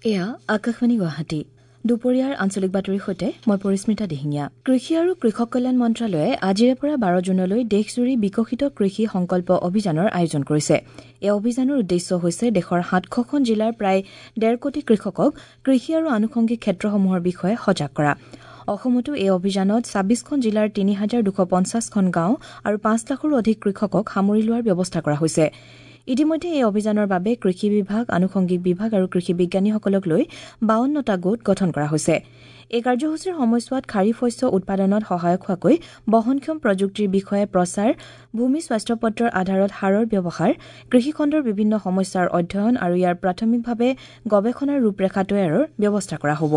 এয়া আকাশবাণী গুৱাহাটী। দুপৰীয়াৰ আঞ্চলিক বাতৰিৰ সৈতে মই পৰিস্মিতা দিহিঙীয়া। কৃষি আৰু কৃষক কল্যাণ মন্ত্ৰালয়ে আজিৰে পৰা 12 জুনলৈ দেশজুৰি বিকশিত কৃষি সংকল্প অভিযানৰ আয়োজন কৰিছে। এই অভিযানৰ উদ্দেশ্য হৈছে দেশৰ 700খন জিলাৰ প্ৰায় 1.5 কোটি কৃষকক কৃষি আৰু আনুষংগিক ক্ষেত্ৰসমূহৰ বিষয়ে সজাগ কৰা। অসমতো এই অভিযানত 26খন জিলাৰ 3250খন গাঁও আৰু 5 লাখৰো অধিক কৃষকক সামৰি লোৱাৰ ব্যৱস্থা কৰা হৈছে। ইতিমধ্যে এই অভিযানৰ বাবে কৃষি বিভাগ, আনুষংগিক বিভাগ আৰু কৃষি বিজ্ঞানীসকলক লৈ 52টা গোট গঠন কৰা হৈছে। এই কাৰ্যসূচীৰ সময়ছোৱাত খাৰিফ শস্য উৎপাদনত সহায়ক হোৱাকৈ বহনক্ষম প্ৰযুক্তিৰ বিষয়ে প্ৰচাৰ, ভূমি স্বাস্থ্য পত্ৰৰ আধাৰত সাৰৰ ব্যৱহাৰ, কৃষিখণ্ডৰ বিভিন্ন সমস্যাৰ অধ্যয়ন আৰু ইয়াৰ প্ৰাথমিকভাৱে গৱেষণাৰ ৰূপৰেখা তৈয়াৰৰ ব্যৱস্থা কৰা হ'ব।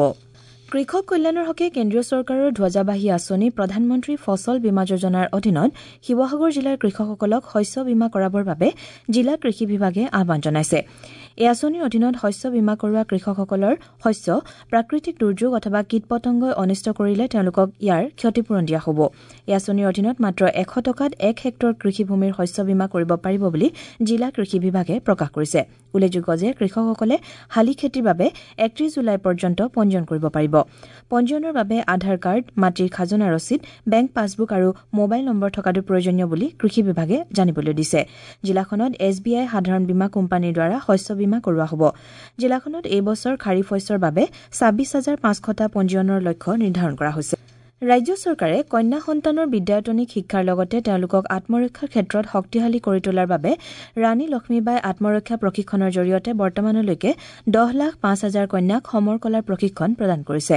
কৃষক কল্যাণৰ হকে কেন্দ্ৰীয় চৰকাৰৰ ধ্বজাবাহী আঁচনি প্ৰধানমন্ত্ৰী ফচল বীমা যোজনাৰ অধীনত শিৱসাগৰ জিলাৰ কৃষকসকলক শস্য বীমা কৰাবৰ বাবে জিলা কৃষি বিভাগে আহ্বান জনাইছে। এই আঁচনিৰ অধীনত শস্য বীমা কৰোৱা কৃষকসকলৰ শস্য প্ৰাকৃতিক দুৰ্যোগ অথবা কীট পতংগই অনিষ্ট কৰিলে তেওঁলোকক ইয়াৰ ক্ষতিপূৰণ দিয়া হ'ব। এই আঁচনিৰ অধীনত মাত্ৰ 100 টকাত 1 হেক্টৰ কৃষিভূমিৰ শস্য বীমা কৰিব পাৰিব বুলি জিলা কৃষি বিভাগে প্ৰকাশ কৰিছে। উল্লেখযোগ্য যে কৃষকসকলে শালি খেতিৰ বাবে 31 জুলাই পৰ্যন্ত পঞ্জীয়ন কৰিব পাৰিব। পঞ্জীয়নৰ বাবে আধাৰ কাৰ্ড, মাটিৰ খাজনা ৰচিদ, বেংক পাছবুক আৰু মোবাইল নম্বৰ থকাটো প্ৰয়োজনীয় বুলি কৃষি বিভাগে জানিবলৈ দিছে। জিলাখনত এছ বি আই সাধাৰণ বীমা কোম্পানীৰ দ্বাৰা শস্য বীমা কৰোৱা হ'ব। জিলাখনত এই বছৰ খাৰিফ শস্যৰ বাবে 26,500টা পঞ্জীয়নৰ লক্ষ্য নিৰ্ধাৰণ কৰা হৈছে। ৰাজ্য চৰকাৰে কন্যা সন্তানৰ বিদ্যায়তনিক শিক্ষাৰ লগতে তেওঁলোকক আত্মৰক্ষাৰ ক্ষেত্ৰত শক্তিশালী কৰি তোলাৰ বাবে ৰাণী লক্ষ্মীবাই আত্মৰক্ষা প্ৰশিক্ষণৰ জৰিয়তে বৰ্তমানলৈকে 10,05,000 কন্যাক সমৰ কলাৰ প্ৰশিক্ষণ প্ৰদান কৰিছে।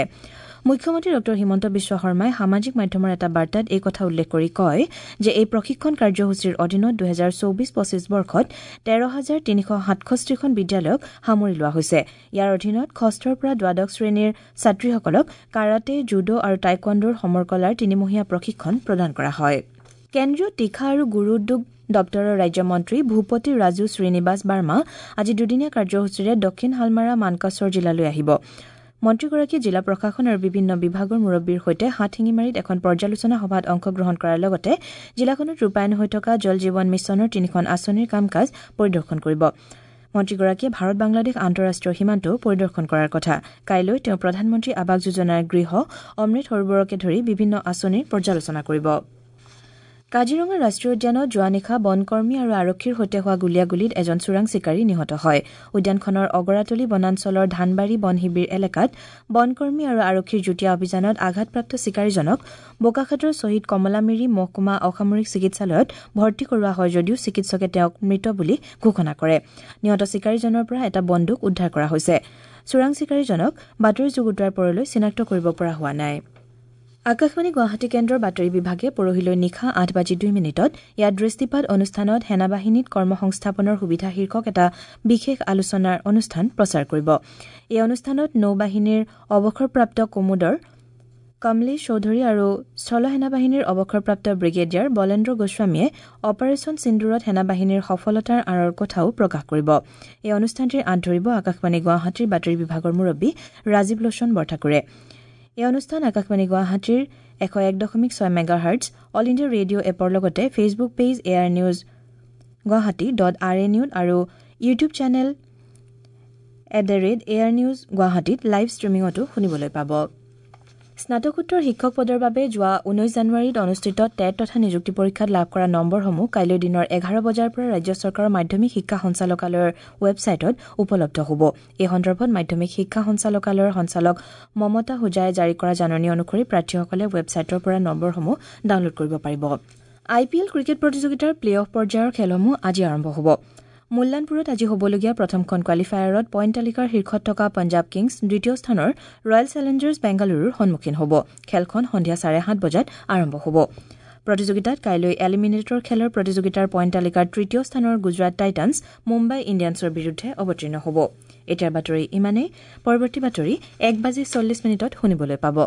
মুখ্যমন্ত্ৰী ড হিমন্ত বিশ্ব শৰ্মাই সামাজিক মাধ্যমৰ এটা বাৰ্তাত এই কথা উল্লেখ কৰি কয় যে এই প্ৰশিক্ষণ কাৰ্যসূচীৰ অধীনত 2024-25 বৰ্ষত 13,367খন বিদ্যালয়ক সামৰি লোৱা হৈছে। ইয়াৰ অধীনত ষষ্ঠৰ পৰা দ্বাদশ শ্ৰেণীৰ ছাত্ৰীসকলক কাৰাটে, জুডো আৰু টাইকোৱাণ্ডোৰ সমৰকলাৰ তিনিমহীয়া প্ৰশিক্ষণ প্ৰদান কৰা হয়। কেন্দ্ৰীয় তীখা আৰু গুৰু উদ্যোগ দপ্তৰৰ ৰাজ্যমন্ত্ৰী ভূপতি ৰাজু শ্ৰীনিবাস বাৰ্মা আজি দুদিনীয়া কাৰ্যসূচীৰে দক্ষিণ হালমাৰা মানকাচৰ জিলালৈ আহিব। মন্ত্ৰীগৰাকীয়ে জিলা প্ৰশাসন আৰু বিভিন্ন বিভাগৰ মুৰব্বীৰ সৈতে হাটশিঙিমাৰীত এখন পৰ্যালোচনা সভাত অংশগ্ৰহণ কৰাৰ লগতে জিলাখনত ৰূপায়ণ হৈ থকা জল জীৱন মিছনৰ 3খন আঁচনিৰ কাম কাজ পৰিদৰ্শন কৰিব। মন্ত্ৰীগৰাকীয়ে ভাৰত বাংলাদেশ আন্তঃৰাষ্ট্ৰীয় সীমান্তও পৰিদৰ্শন কৰাৰ কথা। কাইলৈ তেওঁ প্ৰধানমন্ত্ৰী আৱাস যোজনাৰ গৃহ, অমৃত সৰোবৰকে ধৰি বিভিন্ন আঁচনিৰ পৰ্যালোচনা কৰিব। কাজিৰঙা ৰাষ্ট্ৰীয় উদ্যানত যোৱা নিশা বনকৰ্মী আৰু আৰক্ষীৰ সৈতে হোৱা গুলীয়াগুলীত এজন চোৰাং চিকাৰী নিহত হয়। উদ্যানখনৰ অগৰাতলি বনাঞ্চলৰ ধানবাৰী বন শিবিৰ এলেকাত বনকৰ্মী আৰু আৰক্ষীৰ যুটীয়া অভিযানত আঘাতপ্ৰাপ্ত চিকাৰীজনক বোকাখাতৰ শ্বহীদ কমলামিৰি মহকুমা অসামৰিক চিকিৎসালয়ত ভৰ্তি কৰোৱা হয় যদিও চিকিৎসকে তেওঁক মৃত বুলি ঘোষণা কৰে। নিহত চিকাৰীজনৰ পৰা এটা বন্দুক উদ্ধাৰ কৰা হৈছে। চোৰাং চিকাৰীজনক বাতৰি যুগুতোৱাৰ পৰলৈ চিনাক্ত কৰিব পৰা হোৱা নাই। আকাশবাণী গুৱাহাটী কেন্দ্ৰৰ বাতৰি বিভাগে পৰহিলৈ নিশা 8:02 ইয়াত দৃষ্টিপাত অনুষ্ঠানত সেনাবাহিনীত কৰ্মসংস্থাপনৰ সুবিধা শীৰ্ষক এটা বিশেষ আলোচনাৰ অনুষ্ঠান প্ৰচাৰ কৰিব। এই অনুষ্ঠানত নৌবাহিনীৰ অৱসৰপ্ৰাপ্ত কমোডৰ কমলেশ চৌধুৰী আৰু স্থল সেনাবাহিনীৰ অৱসৰপ্ৰাপ্ত ব্ৰিগেডিয়াৰ বলেন্দ্ৰ গোস্বামীয়ে অপাৰেচন সিন্দুৰত সেনাবাহিনীৰ সফলতাৰ আঁৰৰ কথাও প্ৰকাশ কৰিব। এই অনুষ্ঠানটিৰ আঁত ধৰিব আকাশবাণী গুৱাহাটীৰ বাতৰি বিভাগৰ মুৰব্বী ৰাজীৱ লোচন বৰঠাকুৰে। এই অনুষ্ঠান আকাশবাণী গুৱাহাটীৰ 101.6 মেগাহাৰ্টছ, অল ইণ্ডিয়া ৰেডিঅ' এপৰ লগতে Facebook page AIR news Guwahati .rnu আৰু YouTube channel @AIR news গুৱাহাটীত লাইভ ষ্ট্ৰীমিঙতো শুনিবলৈ পাব। স্নাতকোত্তৰ শিক্ষক পদৰ বাবে যোৱা 19 জানুৱাৰীত অনুষ্ঠিত টেট তথা নিযুক্তি পৰীক্ষাত লাভ কৰা নম্বৰসমূহ কাইলৈ দিনৰ 11 বজাৰ পৰা ৰাজ্য চৰকাৰৰ মাধ্যমিক শিক্ষা সঞ্চালকালয়ৰ ৱেবছাইটত উপলব্ধ হ'ব। এই সন্দৰ্ভত মাধ্যমিক শিক্ষা সঞ্চালকালয়ৰ সঞ্চালক মমতা হোজাই জাৰি কৰা জাননী অনুসৰি প্ৰাৰ্থীসকলে ৱেবছাইটৰ পৰা নম্বৰসমূহ ডাউনলোড কৰিব পাৰিব। আই পি এল ক্ৰিকেট প্ৰতিযোগিতাৰ প্লে অফ পৰ্যায়ৰ খেলসমূহ আজি আৰম্ভ হ'ব। মুল্লানপুৰত আজি হ'বলগীয়া প্ৰথমখন কোৱালিফায়াৰত পইণ্ট তালিকাৰ শীৰ্ষত থকা পঞ্জাৱ কিংছ দ্বিতীয় স্থানৰ ৰয়েল চেলেঞ্জাৰ্ছ বেংগালুৰুৰ সন্মুখীন হ'ব। খেলখন সন্ধিয়া 7:30 বজাত আৰম্ভ হ'ব। প্ৰতিযোগিতাত কাইলৈ এলিমিনেটৰ খেলৰ প্ৰতিযোগিতাৰ পইণ্ট তালিকাৰ তৃতীয় স্থানৰ গুজৰাট টাইটানছ মুম্বাই ইণ্ডিয়ানছৰ বিৰুদ্ধে অৱতীৰ্ণ হ'ব। এতিয়াৰ বাতৰি ইমানেই। পৰৱৰ্তী বাতৰি 1:40 শুনিবলৈ পাব।